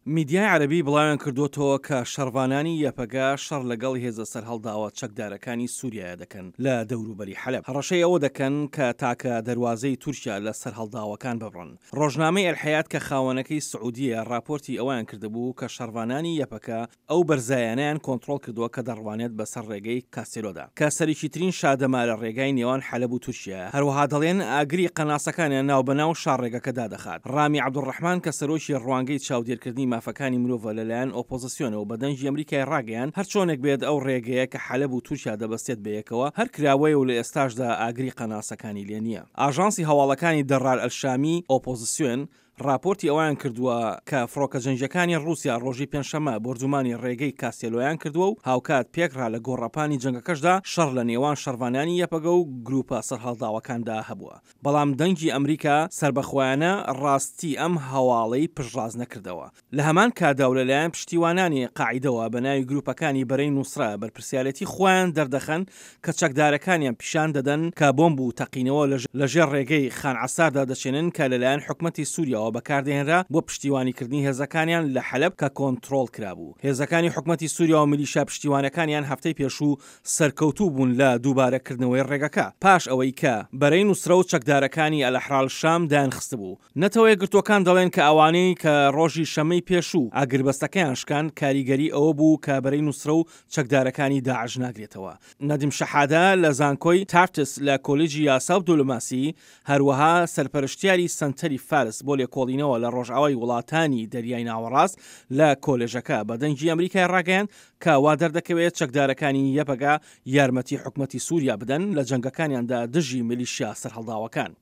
میدیای عەرەبی بڵاویان کردووەتەوە کە شەڕڤانانی یەپەگە شەڕ لەگەڵ هێزە سەرهەڵداوە چەکدارەکانی سوریایە دەکەن لە دەوروبەری حەلەب، هەڕەشەی ئەوە دەکەن کە تاکە دەروازەی تورکیا لە سەرهەڵداوەکان ببڕن. ڕۆژنامەی ئەلحەیات کە خاوەنەکەی سعودیەیە ڕاپۆرتی ئەوەیان کردبوو کە شەڕڤانانی یەپەکە ئەو بەرزایانەیان کۆنتڕۆڵ کردووە کە دەڕوانێت بەسەر ڕێگەی کاستێلۆدا کە سەرەکیترین شادەمارە ڕێگای نێوان حەلەب و تورکیایە، هەروەها دەڵێن ئاگری قەناسەکانیان ناوبەناو شاڕێگەکە دادەخات. ڕامی عەبدولڕەحمان کە سەرۆکی ڕوانگەی چاودێرکردنی مافەکانی مرۆڤە لەلایەن ئۆپۆزسیۆنەوە بە دەنگی ئەمریکای ڕاگەیاند هەرچۆنێک بێت ئەو ڕێگەیە کە حەلەب و تورکیا دەبەستێت بەیەکەوە هەر کراوەیە و لە ئێستاشدا ئاگری قەناسەکانی لێ نییە. ئاژانسی هەواڵەکانی دەڕار ئەلشامی ئۆپۆزسیۆن ڕاپۆرتی ئەوەیان کردووە کە فڕۆکە جەنگییەکانی ڕووسیا ڕۆژی پێنجشەممە بۆردومانی ڕێگەی کاستێلۆیان کردووە و هاوکات پێکڕا لە گۆڕەپانی جەنگەکەشدا شەڕ لە نێوان شەڕڤانانی یەپەگە و گرووپە سەرهەڵداوەکاندا هەبووە. بەڵام دەنگی ئەمریکا سەربەخۆیانە ڕاستی ئەم هەواڵەی پشتڕاست نەکردەوە. لە هەمان کاتدا و لەلایەن پشتیوانانی قاعیدەوە بە ناوی گروپەکانی بەرەی نوسرە بەرپرسیارێتی خۆیان دەردەخەن کە چەکدارەکانیان پیشان دەدەن کە بۆمب و تەقینەوە لە ژێر ڕێگەی خان عەساردا دەچێنن کە لەلایەن حکومەتی سوریاوە بەکاردەهێنرا بۆ پشتیوانیکردنی هێزەکانیان لە حەلەب کە کۆنترۆڵ کرابوو. هێزەکانی حکومەتی سوریا و میلیشیا پشتیوانەکانیان هەفتەی پێشوو سەرکەوتوو بوون لە دووبارە کردنەوەی ڕێگەکە پاش ئەوەی کە بەرەی نوسرە و چەکدارەکانی ئەلئەحرار شام دایانخستبوو. نەتەوە یەکگرتووەکان دەڵێن کە ئەوانەی کە ڕۆژی شەممەی پێشوو ئاگربەستەکەیان شکاند کاریگەری ئەوە بوو کە بەرەی نوسرە و چەکدارەکانی داعش ناگرێتەوە. نەدیم شەحادە لە زانکۆی تافتس لە کۆلیجی یاسا و دۆلۆماسی هەروەها سەرپەرشتیاری سەنتەری فارس بۆ لێکۆڵینەوە لە ڕۆژئاوای وڵاتانی دەریای ناوەڕاست لە کۆلێژەکە بە دەنگی ئەمریکای ڕاگەیاند کە وا دەردەکەوێت چەکدارەکانی یەپەگە یارمەتی حکومەتی سوریا بدەن لە جەنگەکانیاندا دژی میلیشیا سەرهەڵداوەکان.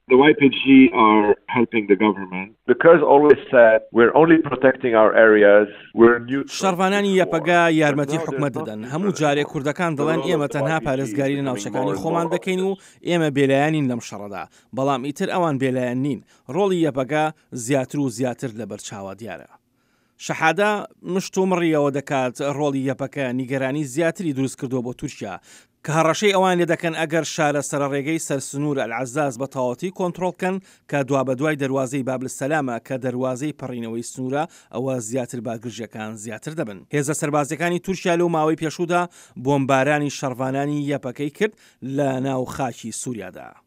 The YPG are helping the government. The Kurds always said we're only protecting our areas, we're neutral. شەڕڤانانی یەپەگە یارمەتی حکومەت دەدەن، هەموو جارێک کوردەکان دەڵێن ئێمە تەنها پارێزگاری لە ناوچەکانی خۆمان دەکەین و ئێمە بێلایەنین لەم شەڕەدا، بەڵام ئیتر ئەوان بێلایەن نین، ڕۆڵی یەپەگە زیاتر و زیاتر لەبەرچاوە دیارە. شەحادە مشتومڕی ئەوە دەکات ڕۆڵی یەپەکە نیگەرانی زیاتری دروستکردووە بۆ تورکیا، کە هەڕەشەی ئەوان لێدەکەن ئەگەر شارە سەرەڕێگەی سەر سنوور ئەلعەزاز بە تەواوەتی کۆنتڕۆڵ بکەن کە دوابەدوای دەروازەی باب السلامە کە دەروازەی پەڕینەوەی سنوورە ئەوە زیاتر بارگرژیەکان زیاتر دەبن. هێزە سەربازیەکانی تورکیا لەو ماوەی پێشوودا بۆمبارانی شەڕڤانانی یەپەکەی کرد لە ناو خاکی سوریادا.